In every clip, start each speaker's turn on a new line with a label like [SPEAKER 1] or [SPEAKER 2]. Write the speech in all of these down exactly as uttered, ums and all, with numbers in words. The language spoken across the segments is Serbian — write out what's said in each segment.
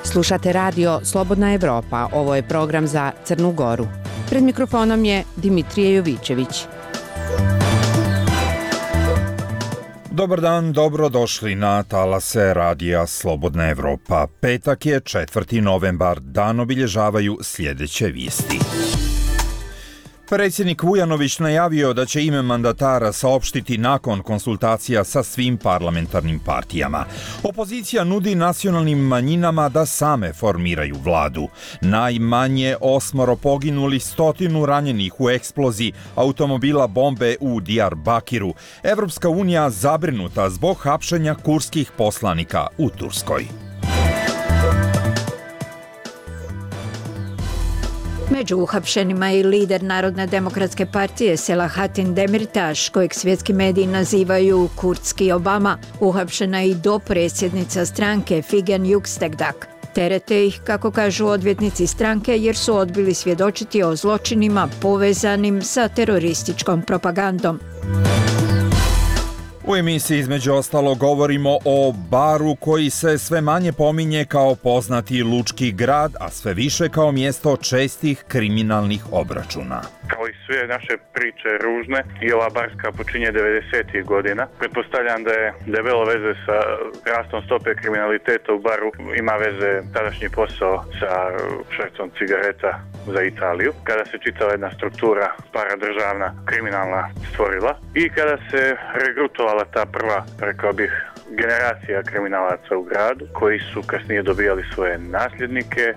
[SPEAKER 1] Slušate radio Slobodna Evropa, ovo je program za Crnu Goru. Pred mikrofonom je Dimitrije Jovićević.
[SPEAKER 2] Dobar dan, dobrodošli na talase radija Slobodna Evropa. Petak je četvrti novembar, dan obilježavaju sljedeće vijesti. Predsjednik Vujanović najavio da će ime mandatara saopštiti nakon konsultacija sa svim parlamentarnim partijama. Opozicija nudi nacionalnim manjinama da same formiraju vladu. Najmanje osmoro poginuli, stotinu ranjenih u eksploziji automobila bombe u Diyarbakiru. Evropska unija zabrinuta zbog hapšenja kurskih poslanika u Turskoj.
[SPEAKER 3] Među uhapšenima je i lider Narodne demokratske partije Selahattin Demirtaš, kojeg svjetski mediji nazivaju kurdski Obama. Uhapšena je i dopredsjednica stranke Figen Yüksekdag. Terete ih, kako kažu odvjetnici stranke, jer su odbili svjedočiti o zločinima povezanim sa terorističkom propagandom.
[SPEAKER 2] U emisiji između ostalo govorimo o Baru koji se sve manje pominje kao poznati lučki grad, a sve više kao mjesto čestih kriminalnih obračuna.
[SPEAKER 4] Kao i sve naše priče ružne, i ova barska počinje devedesetih godina. Pretpostavljam da je debelo veze sa rastom stope kriminaliteta u Baru, ima veze tadašnji posao sa švercom cigareta za Italiju, kada se čitava jedna struktura paradržavna kriminalna stvorila i kada se regrutovala ta prva, rekao bih, generacija kriminalaca u gradu, koji su kasnije dobijali svoje nasljednike.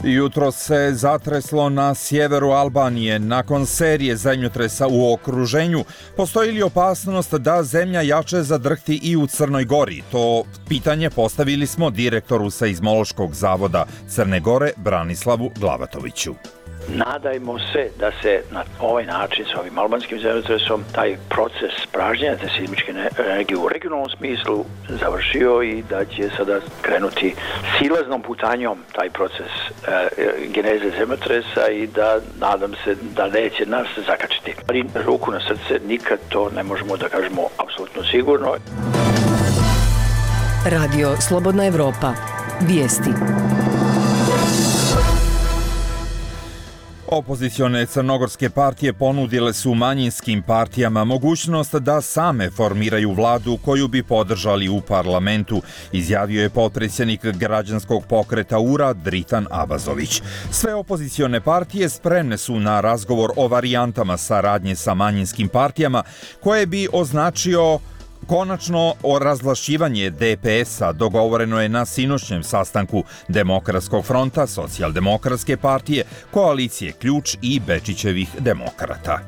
[SPEAKER 2] Jutro se zatreslo na sjeveru Albanije. Nakon serije zemljotresa u okruženju, postoji li opasnost da zemlja jače zadrhti i u Crnoj Gori? To pitanje postavili smo direktoru Seizmološkog zavoda Crne Gore, Branislavu Glavatoviću.
[SPEAKER 5] Nadajmo se da se na ovaj način s ovim albanskim zemljotresom taj proces pražnjenja te seizmičke energije u regionalnom smislu završio i da će sada krenuti silaznom putanjom taj proces e, geneze zemljotresa i da nadam se da neće nas zakačiti. Ali ruku na srce nikad to ne možemo da kažemo apsolutno sigurno.
[SPEAKER 6] Radio Slobodna Evropa. Vijesti.
[SPEAKER 2] Opozicione crnogorske partije ponudile su manjinskim partijama mogućnost da same formiraju vladu koju bi podržali u parlamentu, izjavio je potpredsjednik građanskog pokreta U R A Dritan Abazović. Sve opozicione partije spremne su na razgovor o varijantama saradnje sa manjinskim partijama koje bi označio konačno o razvlašćivanje D P S-a dogovoreno je na sinoćnjem sastanku Demokratskog fronta, Socijaldemokratske partije, koalicije Ključ i Bečićevih demokrata.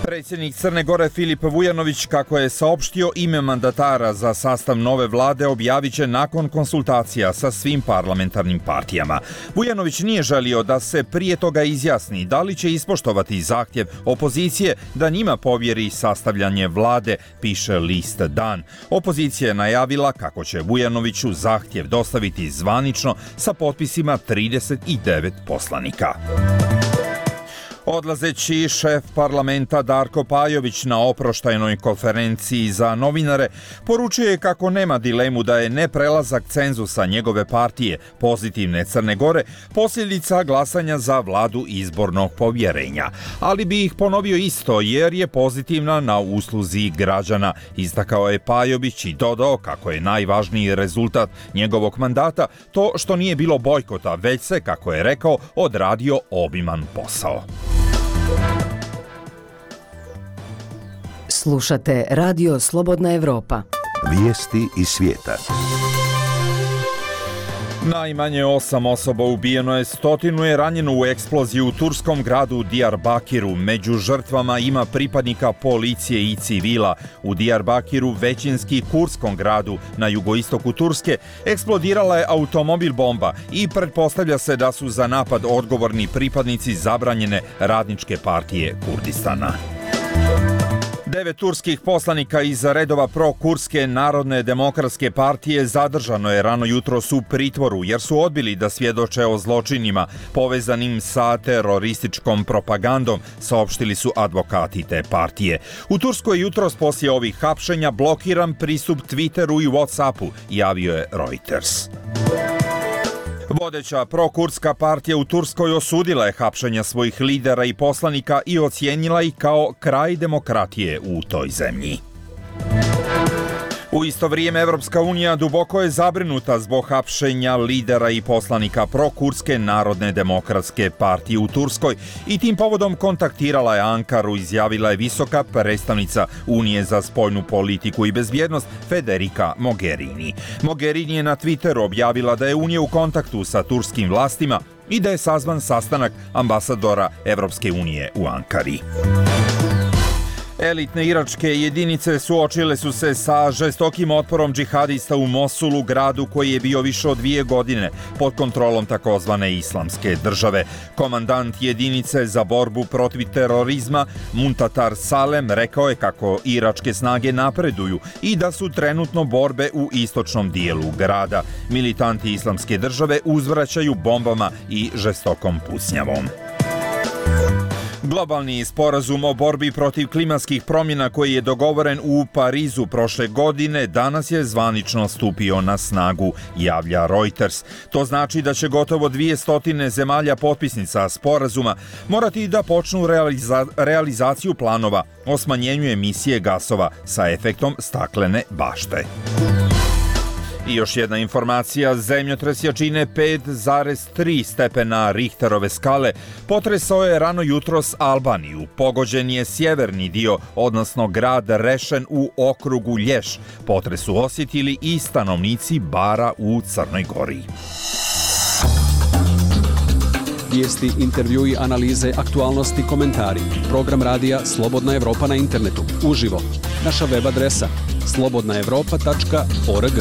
[SPEAKER 2] Predsjednik Crne Gore Filip Vujanović, kako je saopštio, ime mandatara za sastav nove vlade objavit će nakon konsultacija sa svim parlamentarnim partijama. Vujanović nije želio da se prije toga izjasni da li će ispoštovati zahtjev opozicije da njima povjeri sastavljanje vlade, piše list Dan. Opozicija je najavila kako će Vujanoviću zahtjev dostaviti zvanično sa potpisima trideset devet poslanika. Odlazeći šef parlamenta Darko Pajović na oproštajnoj konferenciji za novinare poručio je kako nema dilemu da je neprelazak cenzusa njegove partije Pozitivne Crne Gore posljedica glasanja za vladu izbornog povjerenja. Ali bi ih ponovio isto jer je pozitivna na usluzi građana, istakao je Pajović i dodao kako je najvažniji rezultat njegovog mandata to što nije bilo bojkota, već se, kako je rekao, odradio obiman posao.
[SPEAKER 6] Slušate Radio Slobodna Evropa.
[SPEAKER 7] Vijesti iz svijeta.
[SPEAKER 2] Najmanje osam osoba ubijeno je, stotinu je ranjeno u eksploziji u turskom gradu Diyarbakiru. Među žrtvama ima pripadnika policije i civila. U Diyarbakiru, većinski kurdskom gradu na jugoistoku Turske, eksplodirala je automobil bomba i pretpostavlja se da su za napad odgovorni pripadnici zabranjene Radničke partije Kurdistana. Devet turskih poslanika iz redova pro-kurske Narodne demokratske partije zadržano je rano jutros u pritvoru jer su odbili da svjedoče o zločinima povezanim sa terorističkom propagandom, saopštili su advokati te partije. U Turskoj jutros poslije ovih hapšenja blokiran pristup Twitteru i Whatsappu, javio je Reuters. Vodeća prokurska partija u Turskoj osudila je hapšenja svojih lidera i poslanika i ocijenila ih kao kraj demokratije u toj zemlji. U isto vrijeme Evropska unija duboko je zabrinuta zbog hapšenja lidera i poslanika prokurske Narodne demokratske partije u Turskoj i tim povodom kontaktirala je Ankaru, izjavila je visoka predstavnica Unije za spoljnu politiku i bezbjednost Federica Mogherini. Mogherini je na Twitteru objavila da je Unija u kontaktu sa turskim vlastima i da je sazvan sastanak ambasadora Evropske unije u Ankari. Elitne iračke jedinice suočile su se sa žestokim otporom džihadista u Mosulu, gradu koji je bio više od dvije godine pod kontrolom takozvane islamske države. Komandant jedinice za borbu protiv terorizma Muntatar Salem rekao je kako iračke snage napreduju i da su trenutno borbe u istočnom dijelu grada. Militanti islamske države uzvraćaju bombama i žestokom pucnjavom. Globalni sporazum o borbi protiv klimatskih promjena koji je dogovoren u Parizu prošle godine danas je zvanično stupio na snagu, javlja Reuters. To znači da će gotovo dvije stotine zemalja potpisnica sporazuma morati da počnu realiza- realizaciju planova o smanjenju emisije gasova sa efektom staklene bašte. I još jedna informacija, zemljotres jačine pet zarez tri stepena Richterove skale potresao je rano jutros Albaniju. Pogođen je sjeverni dio, odnosno grad Rešen u okrugu Lješ. Potres su osjetili i stanovnici Bara u Crnoj Gori.
[SPEAKER 8] Vijesti, intervjui, analize, aktualnosti, komentari. Program radija Slobodna Evropa na internetu. Uživo. Naša web adresa slobodna evropa tačka org.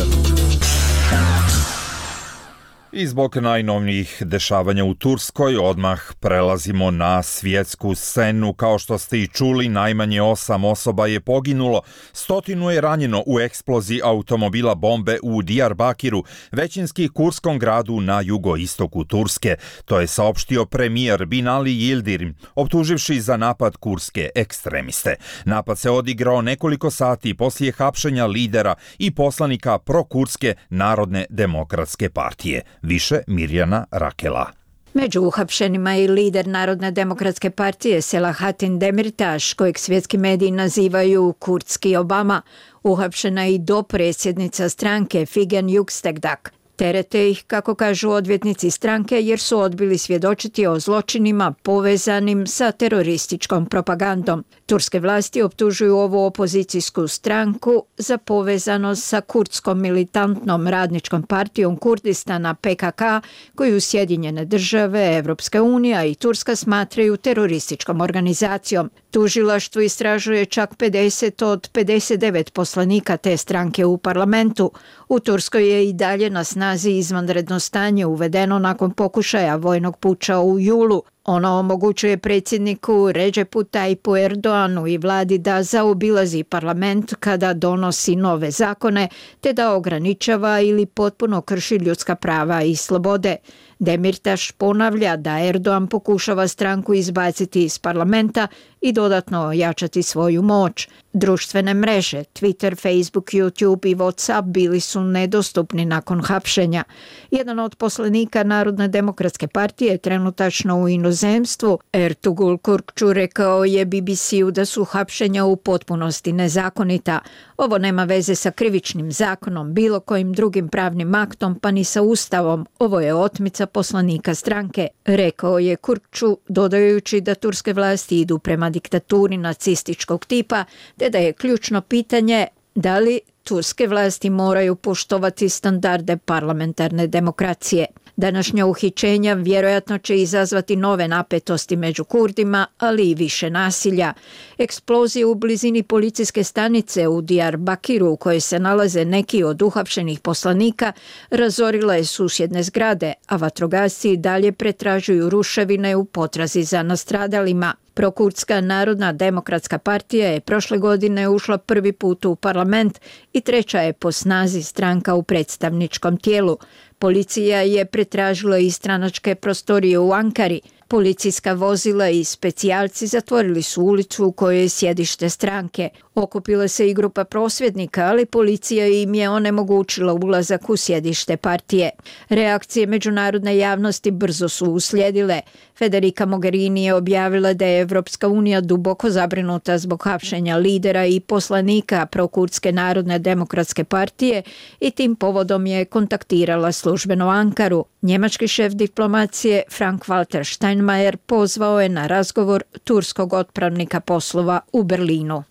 [SPEAKER 2] I zbog najnovnijih dešavanja u Turskoj odmah prelazimo na svjetsku scenu. Kao što ste i čuli, najmanje osam osoba je poginulo, stotinu je ranjeno u eksploziji automobila bombe u Diyarbakiru, većinski kurskom gradu na jugoistoku Turske. To je saopštio premijer Binali Yildirim, optuživši za napad kurske ekstremiste. Napad se odigrao nekoliko sati poslije hapšenja lidera i poslanika prokurske Narodne demokratske partije. Više Mirjana Rakela.
[SPEAKER 3] Među uhapšenima je i lider Narodne demokratske partije Selahattin Demirtaš, kojeg svjetski mediji nazivaju kurdski Obama. Uhapšena je i dopredsjednica stranke Figen Yüksekdag. Terete ih, kako kažu odvjetnici stranke, jer su odbili svjedočiti o zločinima povezanim sa terorističkom propagandom. Turske vlasti optužuju ovu opozicijsku stranku za povezanost sa kurdskom militantnom radničkom partijom Kurdistana P K K, koju Sjedinjene države, Evropska unija i Turska smatraju terorističkom organizacijom. Tužilaštvo istražuje čak pedeset od pedeset devet poslanika te stranke u parlamentu. U Turskoj je i dalje na snazi izvanredno stanje uvedeno nakon pokušaja vojnog puča u julu. Ono omogućuje predsjedniku Recepu Tayyipu Erdoğanu i vladi da zaobilazi parlament kada donosi nove zakone, te da ograničava ili potpuno krši ljudska prava i slobode. Demirtaš ponavlja da Erdoğan pokušava stranku izbaciti iz parlamenta i dodatno ojačati svoju moć. Društvene mreže, Twitter, Facebook, YouTube i WhatsApp bili su nedostupni nakon hapšenja. Jedan od poslanika Narodne demokratske partije trenutačno u inozemstvu, Ertuğrul Kürkçü, rekao je B B C-u da su hapšenja u potpunosti nezakonita. Ovo nema veze sa krivičnim zakonom, bilo kojim drugim pravnim aktom, pa ni sa ustavom. Ovo je otmica poslanika stranke, rekao je Kürkçü, dodajući da turske vlasti idu prema diktaturi nacističkog tipa, te da je ključno pitanje da li turske vlasti moraju poštovati standarde parlamentarne demokracije. Današnja uhićenja vjerojatno će izazvati nove napetosti među Kurdima, ali i više nasilja. Eksplozije u blizini policijske stanice u Diyarbakiru, u kojoj se nalaze neki od uhapšenih poslanika, razorila je susjedne zgrade, a vatrogasci dalje pretražuju ruševine u potrazi za nastradalima. Prokurdska narodna demokratska partija je prošle godine ušla prvi put u parlament i treća je po snazi stranka u predstavničkom tijelu. Policija je pretražila i stranačke prostorije u Ankari. Policijska vozila i specijalci zatvorili su ulicu u kojoj je sjedište stranke. Okupila se i grupa prosvjednika, ali policija im je onemogućila ulazak u sjedište partije. Reakcije međunarodne javnosti brzo su uslijedile. Federica Mogherini je objavila da je Evropska unija duboko zabrinuta zbog hapšenja lidera i poslanika Prokurdske narodne demokratske partije i tim povodom je kontaktirala službeno Ankaru. Njemački šef diplomacije Frank-Walter Steinmeier pozvao je na razgovor turskog otpravnika poslova u Berlinu.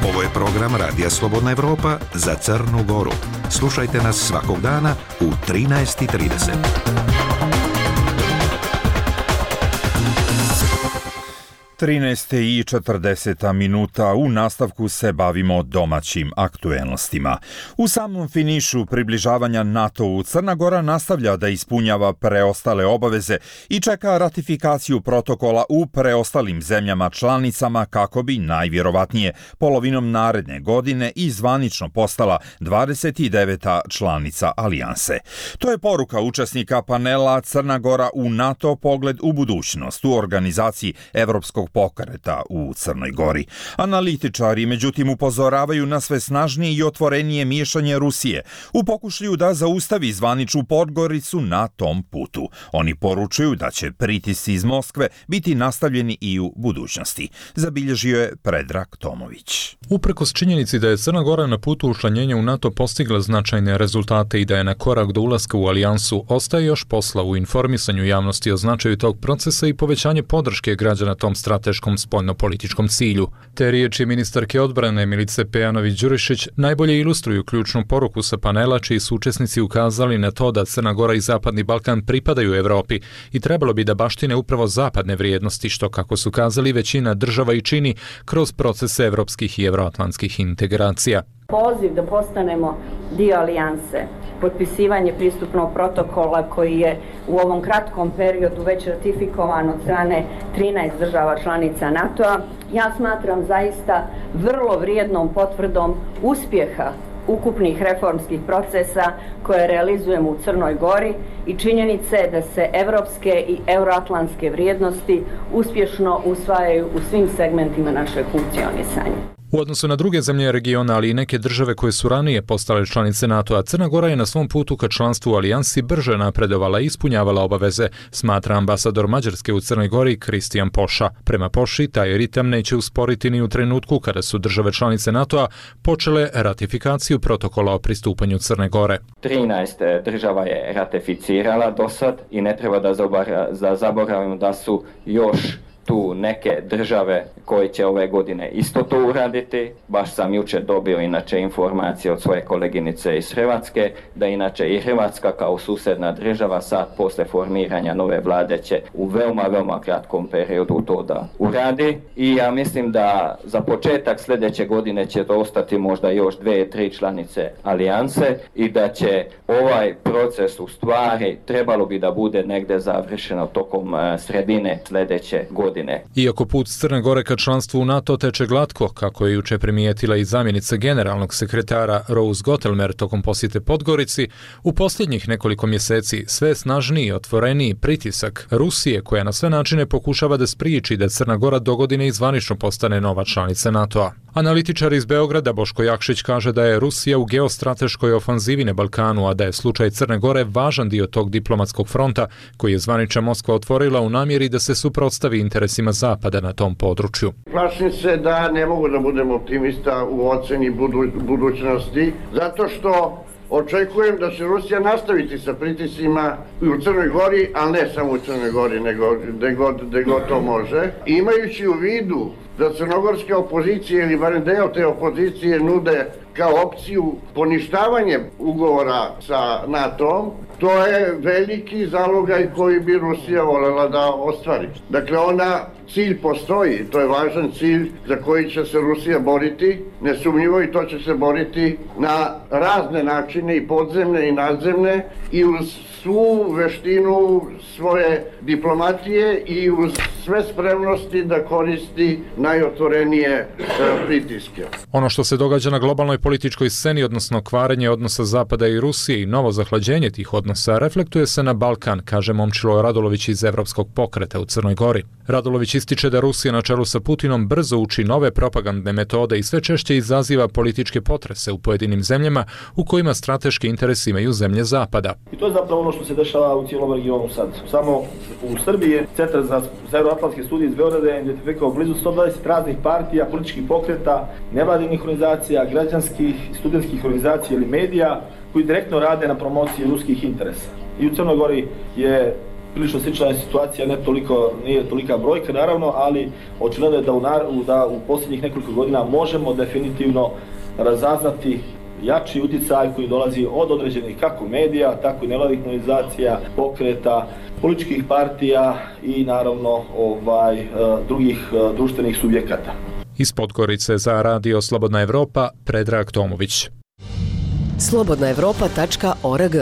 [SPEAKER 7] Ovo je program Radija Slobodna Evropa za Crnu Goru. Slušajte nas svakog dana u trinaest i trideset.
[SPEAKER 2] trinaest i četrdeset minuta u nastavku se bavimo domaćim aktuelnostima. U samom finišu približavanja NATO-u Crna Gora nastavlja da ispunjava preostale obaveze i čeka ratifikaciju protokola u preostalim zemljama članicama kako bi najvjerovatnije polovinom naredne godine i zvanično postala dvadeset deveta članica alijanse. To je poruka učesnika panela Crna Gora u NATO pogled u budućnost u organizaciji Evropskog pokreta u Crnoj Gori. Analitičari međutim upozoravaju na sve snažnije i otvorenije miješanje Rusije u pokušaju da zaustavi zvaničnu Podgoricu na tom putu. Oni poručuju da će pritisci iz Moskve biti nastavljeni i u budućnosti. Zabilježio je Predrag Tomović.
[SPEAKER 9] Uprkos činjenici da je Crna Gora na putu učlanjenja u NATO postigla značajne rezultate i da je na korak do ulaska u alijansu, ostaje još posla u informisanju javnosti o značaju tog procesa i povećanje podrške građana tom strateškom spoljnopolitičkom cilju. Te riječi ministarke odbrane Milice Pejanović-Đurišić najbolje ilustruju ključnu poruku sa panela čiji su učesnici ukazali na to da Crna Gora i Zapadni Balkan pripadaju Evropi i trebalo bi da baštine upravo zapadne vrijednosti, što, kako su kazali, većina država i čini kroz procese evropskih i evroatlantskih integracija.
[SPEAKER 10] Poziv da postanemo dio alijanse, potpisivanje pristupnog protokola koji je u ovom kratkom periodu već ratifikovan od strane trinaest država članica NATO-a, ja smatram zaista vrlo vrijednom potvrdom uspjeha ukupnih reformskih procesa koje realizujemo u Crnoj Gori i činjenice da se evropske i euroatlantske vrijednosti uspješno usvajaju u svim segmentima našeg funkcionisanja.
[SPEAKER 9] U odnosu na druge zemlje regiona, ali i neke države koje su ranije postale članice NATO-a, Crna Gora je na svom putu ka članstvu u alijansi brže napredovala i ispunjavala obaveze, smatra ambasador Mađarske u Crnoj Gori Kristijan Poša. Prema Poši, taj ritam neće usporiti ni u trenutku kada su države članice NATO-a počele ratifikaciju protokola o pristupanju Crne Gore.
[SPEAKER 11] trinaest država je ratificirala do sad i ne treba da zaboravimo da su još tu neke države koje će ove godine isto to uraditi. Baš sam jučer dobio inače informacije od svoje koleginice iz Hrvatske, da inače i Hrvatska kao susjedna država sad posle formiranja nove vlade će u veoma, veoma kratkom periodu to da uradi. I ja mislim da za početak sljedeće godine će to ostati možda još dve, tri članice alijanse i da će ovaj proces u stvari trebalo bi da bude negde završeno tokom sredine sljedeće godine.
[SPEAKER 9] Iako put Crne Gore ka članstvu u NATO teče glatko, kako je juče primijetila i zamjenica generalnog sekretara Rose Gottelmer tokom posjete Podgorici, u posljednjih nekoliko mjeseci sve snažniji i otvoreniji pritisak Rusije, koja na sve načine pokušava da spriječi da Crna Gora dogodine i zvanično postane nova članica NATO-a. Analitičar iz Beograda Boško Jakšić kaže da je Rusija u geostrateškoj ofanzivi na Balkanu, a da je slučaj Crne Gore važan dio tog diplomatskog fronta koji je zvanična Moskva otvorila u namjeri da se suprotstavi interesima Zapada na tom području.
[SPEAKER 12] Plašim se da ne mogu da budem optimista u oceni budu, budućnosti, zato što očekujem da će Rusija nastaviti sa pritiscima u Crnoj Gori, ali ne samo u Crnoj Gori, nego gde god, gde god to može. Imajući u vidu da crnogorske opozicije ili barem deo te opozicije nude kao opciju poništavanje ugovora sa NATO-om, to je veliki zalogaj koji bi Rusija voljela da ostvari. Dakle, ona cilj postoji, to je važan cilj za koji će se Rusija boriti nesumnjivo, i to će se boriti na razne načine, i podzemne i nadzemne, i uz svu veštinu svoje diplomatije i uz sve spremnosti da koristi najotvorenije e, pritiske.
[SPEAKER 9] Ono što se događa na globalnoj političkoj sceni, odnosno kvarenje odnosa Zapada i Rusije i novo zahlađenje tih odnosa, reflektuje se na Balkan, kaže Momčilo Radulović iz Evropskog pokreta u Crnoj Gori. Radulović ističe da Rusija na čelu sa Putinom brzo uči nove propagandne metode i sve češće izaziva političke potrese u pojedinim zemljama u kojima strateški interes imaju zemlje Zapada.
[SPEAKER 13] I to je zapravo ono što se dešava u cijelom regionu sad. Samo u Srbiji je Centar za Severoatlantske studije iz Beograda je identifikovao blizu sto dvadeset raznih partija, političkih pokreta, nevladinih organizacija, građanskih, studentskih organizacija ili medija koji direktno rade na promociji ruskih interesa. I u Crnoj Gori je prilično slična situacija, ne toliko, nije tolika brojka naravno, ali očigledno je da u, da u posljednjih nekoliko godina možemo definitivno razaznati jači uticaj koji dolazi od određenih kako medija, tako i nevladih organizacija, pokreta, političkih partija i naravno ovaj, drugih društvenih subjekata.
[SPEAKER 9] Iz Podgorice za Radio Slobodna Evropa, Predrag Tomović.
[SPEAKER 6] slobodna evropa tačka org.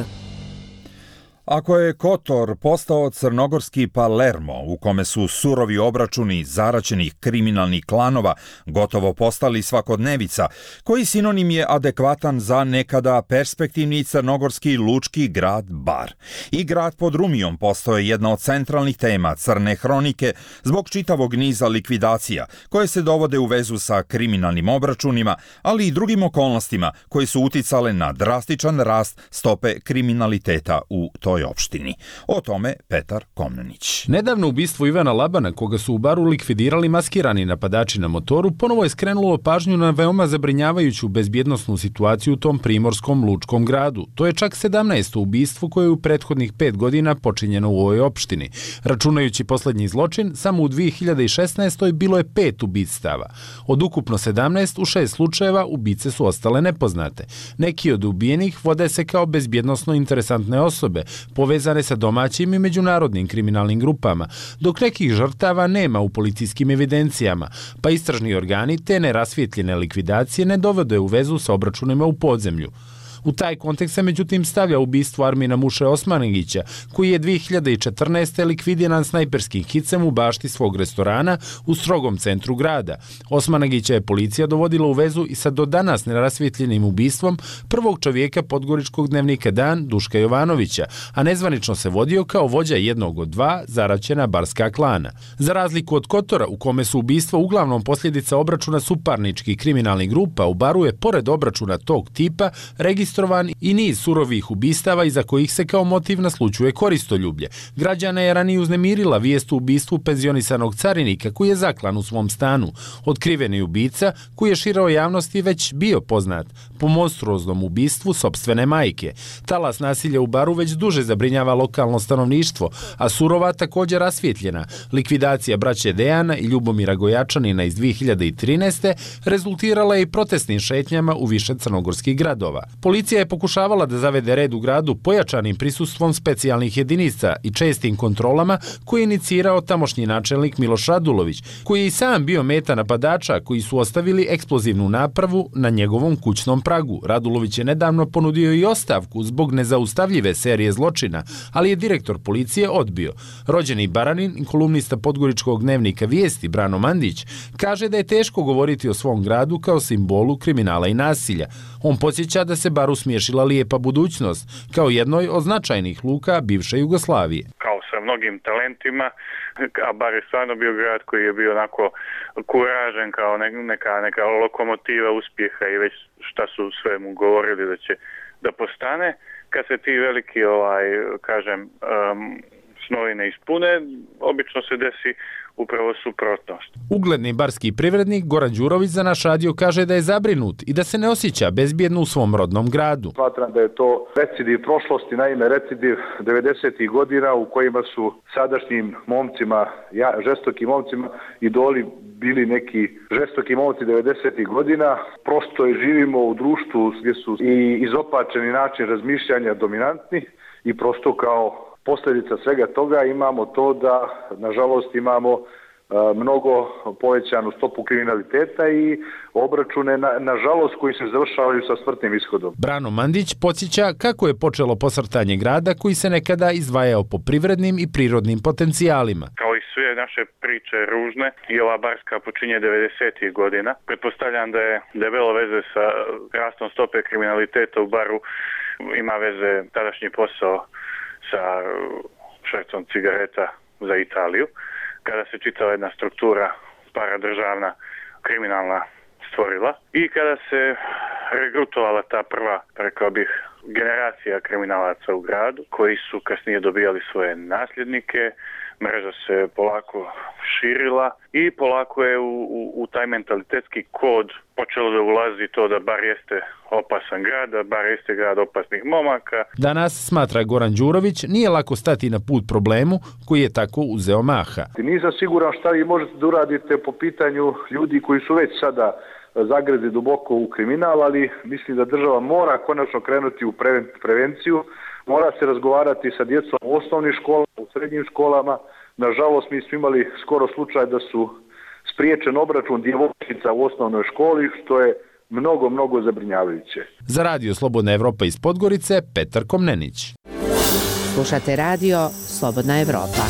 [SPEAKER 2] Ako je Kotor postao crnogorski Palermo, u kome su surovi obračuni zaraćenih kriminalnih klanova gotovo postali svakodnevica, koji sinonim je adekvatan za nekada perspektivni crnogorski lučki grad Bar. I grad pod Rumijom postao je jedna od centralnih tema crne hronike zbog čitavog niza likvidacija, koje se dovode u vezu sa kriminalnim obračunima, ali i drugim okolnostima koje su uticale na drastičan rast stope kriminaliteta u toj opštini. O tome Petar Komnenić.
[SPEAKER 14] Nedavno ubistvo Ivana Labana, koga su u Baru likvidirali maskirani napadači na motoru, ponovo je skrenulo pažnju na veoma zabrinjavajuću bezbjednosnu situaciju u tom primorskom lučkom gradu. To je čak sedamnaesto ubistvo koje je u prethodnih pet godina počinjeno u ovoj opštini. Računajući poslednji zločin, samo u dvije hiljade šesnaestoj bilo je pet ubistava. Od ukupno sedamnaest, u šest slučajeva ubice su ostale nepoznate. Neki od ubijenih vode se kao bezbjednosno interesantne osobe, povezane sa domaćim i međunarodnim kriminalnim grupama, dok nekih žrtava nema u policijskim evidencijama, pa istražni organi te nerasvjetljene likvidacije ne dovode u vezu sa obračunima u podzemlju. U taj kontekst se međutim stavlja ubistvo Armina Muše Osmanagića, koji je dvije hiljade četrnaeste likvidiran snajperskim hicem u bašti svog restorana u strogom centru grada. Osmanagića je policija dovodila u vezu i sa do danas nerasvjetljenim ubistvom prvog čovjeka podgoričkog dnevnika Dan, Duška Jovanovića, a nezvanično se vodio kao vođa jednog od dva zaraćena barska klana. Za razliku od Kotora, u kome su ubistva uglavnom posljedica obračuna suparničkih kriminalnih grupa, u Baru je pored obračuna tog tipa registrovan i niz surovih ubistava iza kojih se kao motiv naslućuje koristoljublje. Građana je ranije uznemirila vijest o ubistvu penzionisanog carinika koji je zaklan u svom stanu. Otkriveni ubica, koji je široj javnosti već bio poznat po monstruoznom ubistvu sopstvene majke. Talas nasilja u Baru već duže zabrinjava lokalno stanovništvo, a surova također rasvjetljena. Likvidacija braće Dejana i Ljubomira Gojačanina iz dvije hiljade trinaeste rezultirala je i protestnim šetnjama u više crnogorskih gradova. Policija je pokušavala da zavede red u gradu pojačanim prisustvom specijalnih jedinica i čestim kontrolama koje je inicirao tamošnji načelnik Miloš Radulović, koji je i sam bio meta napadača koji su ostavili eksplozivnu napravu na njegovom kućnom pragu. Radulović je nedavno ponudio i ostavku zbog nezaustavljive serije zločina, ali je direktor policije odbio. Rođeni Baranin i kolumnista podgoričkog dnevnika Vijesti Brano Mandić kaže da je teško govoriti o svom gradu kao simbolu kriminala i nasilja. On podsjeća da se Baru smiješila lijepa budućnost kao jednoj od značajnih luka bivše Jugoslavije.
[SPEAKER 4] Kao sa mnogim talentima, a Bar je stvarno bio grad koji je bio onako kuražen kao neka, neka lokomotiva uspjeha i već šta su sve mu govorili da će da postane. Kad se ti veliki, ovaj, kažem, um, snovi ne ispune, obično se desi upravo suprotnost.
[SPEAKER 14] Ugledni barski privrednik Goran Đurović za naš radio kaže da je zabrinut i da se ne osjeća bezbjedno u svom rodnom gradu.
[SPEAKER 15] Smatram da je to recidiv prošlosti, naime recidiv devedesetih godina u kojima su sadašnjim momcima, ja, žestokim momcima idoli bili neki žestoki momci devedesetih godina. Prosto je živimo u društvu gdje su i izopačeni način razmišljanja dominantni i prosto kao posljedica svega toga imamo to da, nažalost, imamo mnogo povećanu stopu kriminaliteta i obračune, na, nažalost, koji se završavaju sa smrtnim ishodom.
[SPEAKER 14] Brano Mandić podsjeća kako je počelo posrtanje grada koji se nekada izdvajao po privrednim i prirodnim potencijalima.
[SPEAKER 4] Kao i sve naše priče ružne, i ova Barska počinje devedesetih godina. Pretpostavljam da je debelo veze sa rastom stope kriminaliteta u Baru, ima veze tadašnji posao sa švercom cigareta za Italiju, kada se čitava jedna struktura paradržavna, kriminalna stvorila i kada se regrutovala ta prva, rekao bih, generacija kriminalaca u gradu, koji su kasnije dobijali svoje nasljednike, mreža se polako širila i polako je u, u, u taj mentalitetski kod počelo da ulazi to da Bar jeste opasan grad, da Bar jeste grad opasnih momaka.
[SPEAKER 14] Danas, smatra Goran Đurović, nije lako stati na put problemu koji je tako uzeo maha.
[SPEAKER 15] Nisam siguran šta vi možete da uradite po pitanju ljudi koji su već sada zagrezi duboko u kriminal, ali mislim da država mora konačno krenuti u prevenciju, mora se razgovarati sa djecom u osnovnim školama, u srednjim školama. Nažalost, mi smo imali skoro slučaj da su spriječen obračun djevojčica u osnovnoj školi, što je mnogo, mnogo zabrinjavajuće.
[SPEAKER 14] Za Radio Slobodna Evropa iz Podgorice, Petar Komnenić.
[SPEAKER 1] Slušate radio Slobodna Evropa.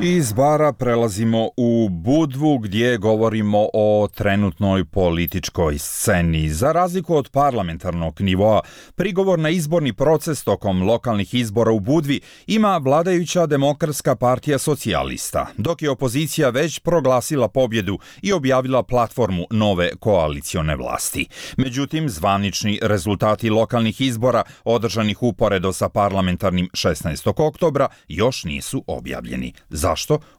[SPEAKER 2] Iz Bara prelazimo u Budvu gdje govorimo o trenutnoj političkoj sceni. Za razliku od parlamentarnog nivoa, prigovor na izborni proces tokom lokalnih izbora u Budvi ima vladajuća Demokratska partija socijalista, dok je opozicija već proglasila pobjedu i objavila platformu nove koalicione vlasti. Međutim, zvanični rezultati lokalnih izbora održanih uporedo sa parlamentarnim šesnaestog oktobra još nisu objavljeni. Zašto?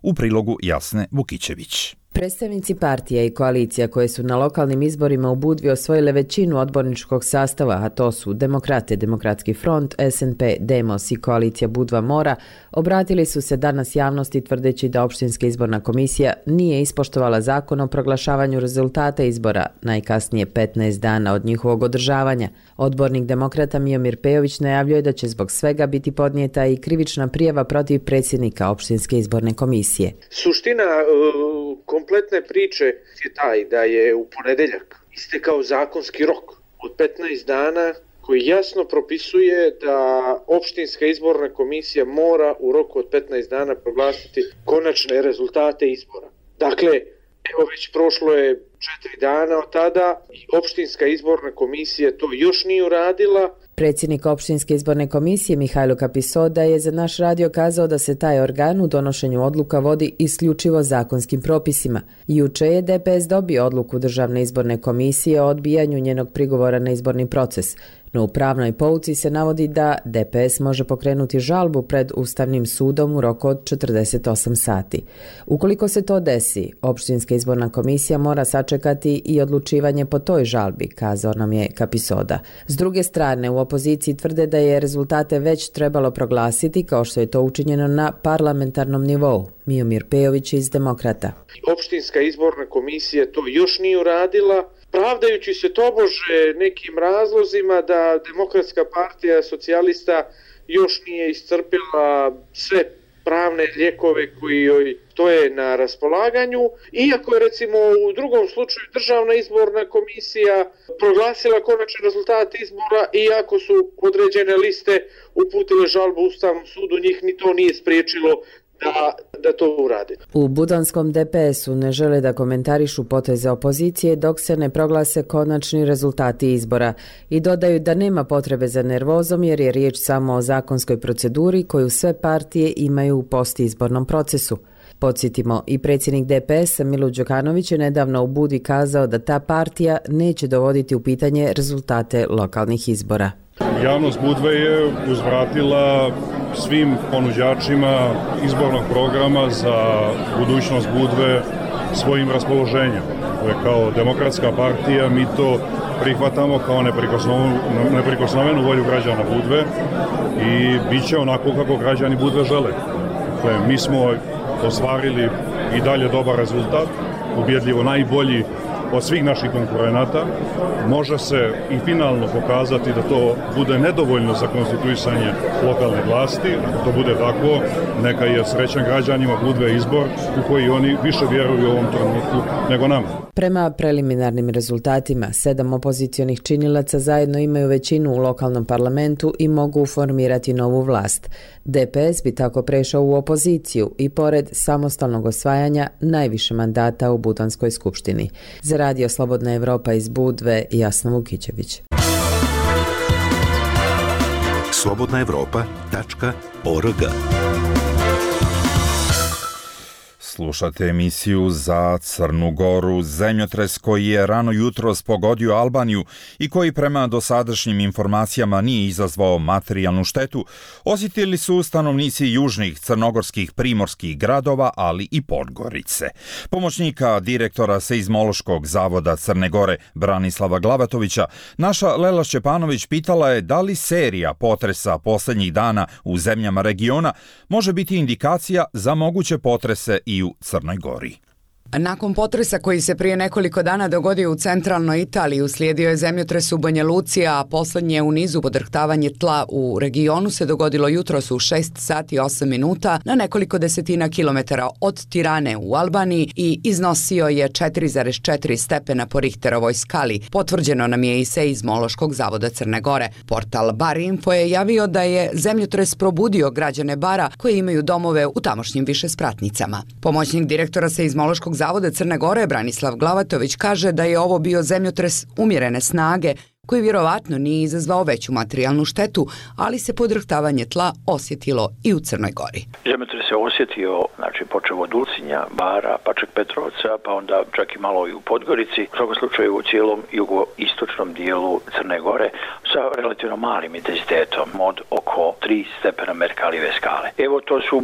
[SPEAKER 2] U prilogu Jasne Vukićević.
[SPEAKER 16] Predstavnici partija i koalicija koje su na lokalnim izborima u Budvi osvojile većinu odborničkog sastava, a to su Demokrate, Demokratski front, S N P, Demos i koalicija Budva Mora, obratili su se danas javnosti tvrdeći da Opštinska izborna komisija nije ispoštovala zakon o proglašavanju rezultata izbora, najkasnije petnaest dana od njihovog održavanja. Odbornik Demokrata Miomir Pejović najavljuje da će zbog svega biti podnijeta i krivična prijava protiv predsjednika Opštinske izborne komisije.
[SPEAKER 17] Suština uh, kompletne priče je taj da je u ponedeljak istekao zakonski rok od petnaest dana koji jasno propisuje da Opštinska izborna komisija mora u roku od petnaest dana proglasiti konačne rezultate izbora. Dakle, evo već prošlo je četiri dana od tada i Opštinska izborna komisija to još nije uradila.
[SPEAKER 16] Predsjednik Opštinske izborne komisije Mihajlo Kapisoda je za naš radio kazao da se taj organ u donošenju odluka vodi isključivo zakonskim propisima. Juče je D P S dobio odluku Državne izborne komisije o odbijanju njenog prigovora na izborni proces, no u pravnoj pouci se navodi da D P S može pokrenuti žalbu pred Ustavnim sudom u roku od četrdeset osam sati. Ukoliko se to desi, Opštinska izborna komisija mora sačekati i odlučivanje po toj žalbi, kazao nam je Kapisoda. S druge strane, u opoziciji tvrde da je rezultate već trebalo proglasiti kao što je to učinjeno na parlamentarnom nivou. Miomir Pejović iz Demokrata.
[SPEAKER 17] Opštinska izborna komisija to još nije uradila, pravdajući se tobože nekim razlozima da Demokratska partija socijalista još nije iscrpila sve pravne lijekove koji joj stoje na raspolaganju, iako je recimo u drugom slučaju Državna izborna komisija proglasila konačni rezultat izbora, iako su određene liste uputile žalbu Ustavnom sudu, njih ni to nije spriječilo Da, da to uradi.
[SPEAKER 16] U budanskom D P S-u ne žele da komentarišu poteze opozicije dok se ne proglase konačni rezultati izbora i dodaju da nema potrebe za nervozom jer je riječ samo o zakonskoj proceduri koju sve partije imaju u postizbornom procesu. Podsjetimo, i predsjednik D P S-a Milo Đukanović je nedavno u Budvi kazao da ta partija neće dovoditi u pitanje rezultate lokalnih izbora.
[SPEAKER 18] Javnost Budve je uzvratila svim ponuđačima izbornog programa za budućnost Budve svojim raspoloženjem. Kao Demokratska partija mi to prihvatamo kao neprikosnovenu, neprikosnovenu volju građana Budve i bit će onako kako građani Budve žele. Dakle, mi smo ostvarili i dalje dobar rezultat, ubjedljivo najbolji od svih naših konkurenata. Može se i finalno pokazati da to bude nedovoljno za konstituisanje lokalne vlasti. Ako to bude tako, neka je srećan građanima bude izbor u koji oni više vjeruju u ovom trenutku nego nama.
[SPEAKER 16] Prema preliminarnim rezultatima, sedam opozicionih činilaca zajedno imaju većinu u lokalnom parlamentu i mogu formirati novu vlast. D P S bi tako prešao u opoziciju i pored samostalnog osvajanja najviše mandata u Butanskoj skupštini. Za Radio Slobodna Evropa iz Budve, Jasna Vukićević.
[SPEAKER 7] slobodna evropa tačka org.
[SPEAKER 2] Slušate emisiju za Crnu Goru. Zemljotres koji je rano jutros pogodio Albaniju i koji prema dosadašnjim informacijama nije izazvao materijalnu štetu, osjetili su stanovnici južnih crnogorskih primorskih gradova, ali i Podgorice. Pomoćnika direktora Seizmološkog zavoda Crne Gore Branislava Glavatovića, naša Lela Šćepanović pitala je da li serija potresa posljednjih dana u zemljama regiona može biti indikacija za moguće potrese i u Crnoj Gori.
[SPEAKER 19] Nakon potresa koji se prije nekoliko dana dogodio u centralnoj Italiji, uslijedio je zemljotres u Banja Luci, a posljednje u nizu podrhtavanje tla u regionu se dogodilo jutros u šest sati i osam minuta na nekoliko desetina kilometara od Tirane u Albaniji i iznosio je četiri zarez četiri stepena po Richterovoj skali. Potvrđeno nam je i Seizmološkog zavoda Crne Gore. Portal Bar Info je javio da je zemljotres probudio građane Bara koji imaju domove u tamošnjim višespratnicama. Pomoćnik direktora Seizmološkog zavoda Crne Gore Branislav Glavatović kaže da je ovo bio zemljotres umjerene snage koji vjerovatno nije izazvao veću materijalnu štetu, ali se podrhtavanje tla osjetilo i u Crnoj Gori.
[SPEAKER 5] Zemljotres se osjetio, znači počeo od Ulcinja, Bara, pa čak Petrovca, pa onda čak i malo i u Podgorici, u svakom slučaju u cijelom jugoistočnom dijelu Crne Gore sa relativno malim intenzitetom od oko tri stepena Merkalijeve skale. Evo to su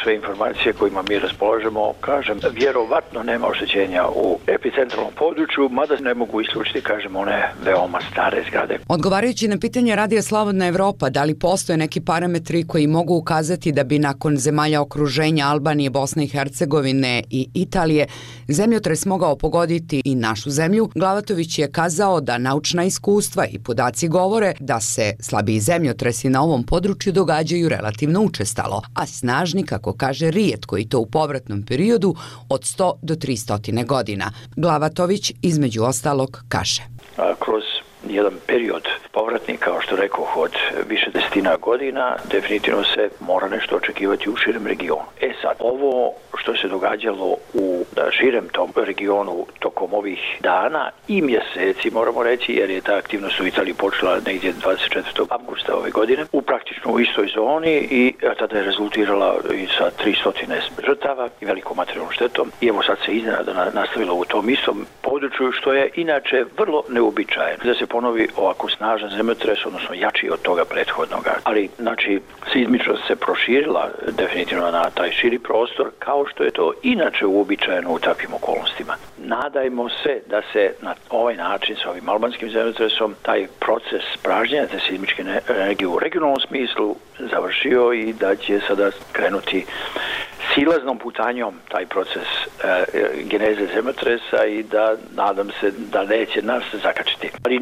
[SPEAKER 5] sve informacije kojima mi raspolažemo, kažem, vjerovatno nema oštećenja u epicentralnom području, mada ne mogu isključiti, kažem, one veoma stare zgrade.
[SPEAKER 19] Odgovarajući na pitanje Radija Slobodna Evropa da li postoje neki parametri koji mogu ukazati da bi nakon zemalja okruženja Albanije, Bosne i Hercegovine i Italije zemljotres mogao pogoditi i našu zemlju, Glavatović je kazao da naučna iskustva i podaci govore da se slabiji zemljotresi na ovom području događaju relativno učestalo, a snažni, kako kaže, rijetko i to u povratnom periodu od sto do tristo godina. Glavatović između ostalog kaže:
[SPEAKER 5] A, kroz jedan period povratni, kao što rekao, od više desetina godina, definitivno se mora nešto očekivati u širem regionu. E sad, ovo što se događalo u širem tom regionu tokom ovih dana i mjeseci, moramo reći, jer je ta aktivnost u Italiji počela negdje dvadeset četvrtog avgusta ove godine, u praktično u istoj zoni i tada je rezultirala i sa tristo žrtava i velikom materijalnom štetom. I evo sad se iznenada nastavilo u tom istom području, što je inače vrlo neuobičajeno da se ponovi ovako snažan zemljotres, odnosno jači od toga prethodnoga. Ali, znači, seizmičnost se proširila definitivno na taj širi prostor, kao što je to inače uobičajeno u takvim okolnostima. Nadajmo se da se na ovaj način sa ovim albanskim zemljotresom taj proces pražnjenja te seizmičke energije u regionalnom smislu završio i da će sada krenuti silaznom putanjom taj proces e, geneze zemljotresa i da nadam se da neće nas zakačiti. Ali e,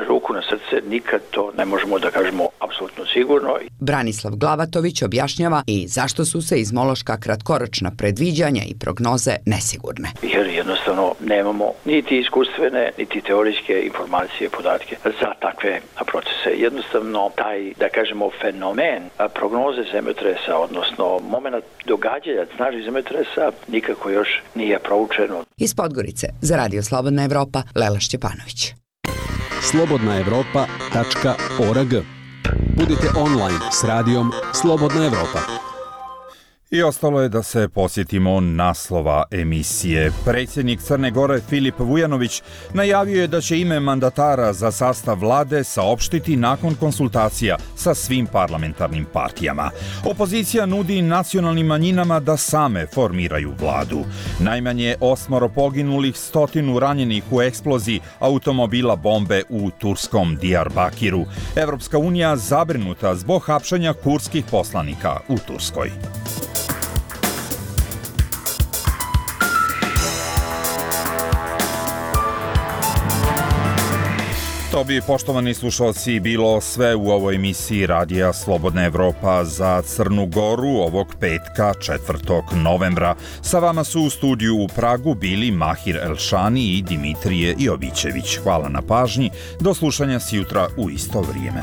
[SPEAKER 5] ruku na srce, nikad to ne možemo da kažemo apsolutno sigurno.
[SPEAKER 19] Branislav Glavatović objašnjava i zašto su seizmološka kratkoročna predviđanja i prognoze nesigurne.
[SPEAKER 5] Jer jednostavno nemamo niti iskustvene, niti teorijske informacije, podatke za takve procese. Jednostavno taj, da kažemo, fenomen prognoze zemljotresa, odnosno moment događanja snažnih zemljotresa nikako još nije proučeno.
[SPEAKER 19] Iz Podgorice za Radio Slobodna Evropa, Lela Šćepanović.
[SPEAKER 8] slobodna evropa tačka org. Budite online s radijom Slobodna Evropa.
[SPEAKER 2] I ostalo je da se posjetimo naslova emisije. Predsjednik Crne Gore Filip Vujanović najavio je da će ime mandatara za sastav vlade saopštiti nakon konsultacija sa svim parlamentarnim partijama. Opozicija nudi nacionalnim manjinama da same formiraju vladu. Najmanje osmoro poginulih, stotinu ranjenih u eksploziji automobila bombe u turskom Diyarbakiru. Evropska unija zabrinuta zbog hapšenja kurdskih poslanika u Turskoj. To bi, poštovani slušalci, bilo sve u ovoj emisiji Radija Slobodna Evropa za Crnu Goru ovog petka četvrtog novembra. Sa vama su u studiju u Pragu bili Mahir Elšani i Dimitrije Jovićević. Hvala na pažnji. Do slušanja sjutra u isto vrijeme.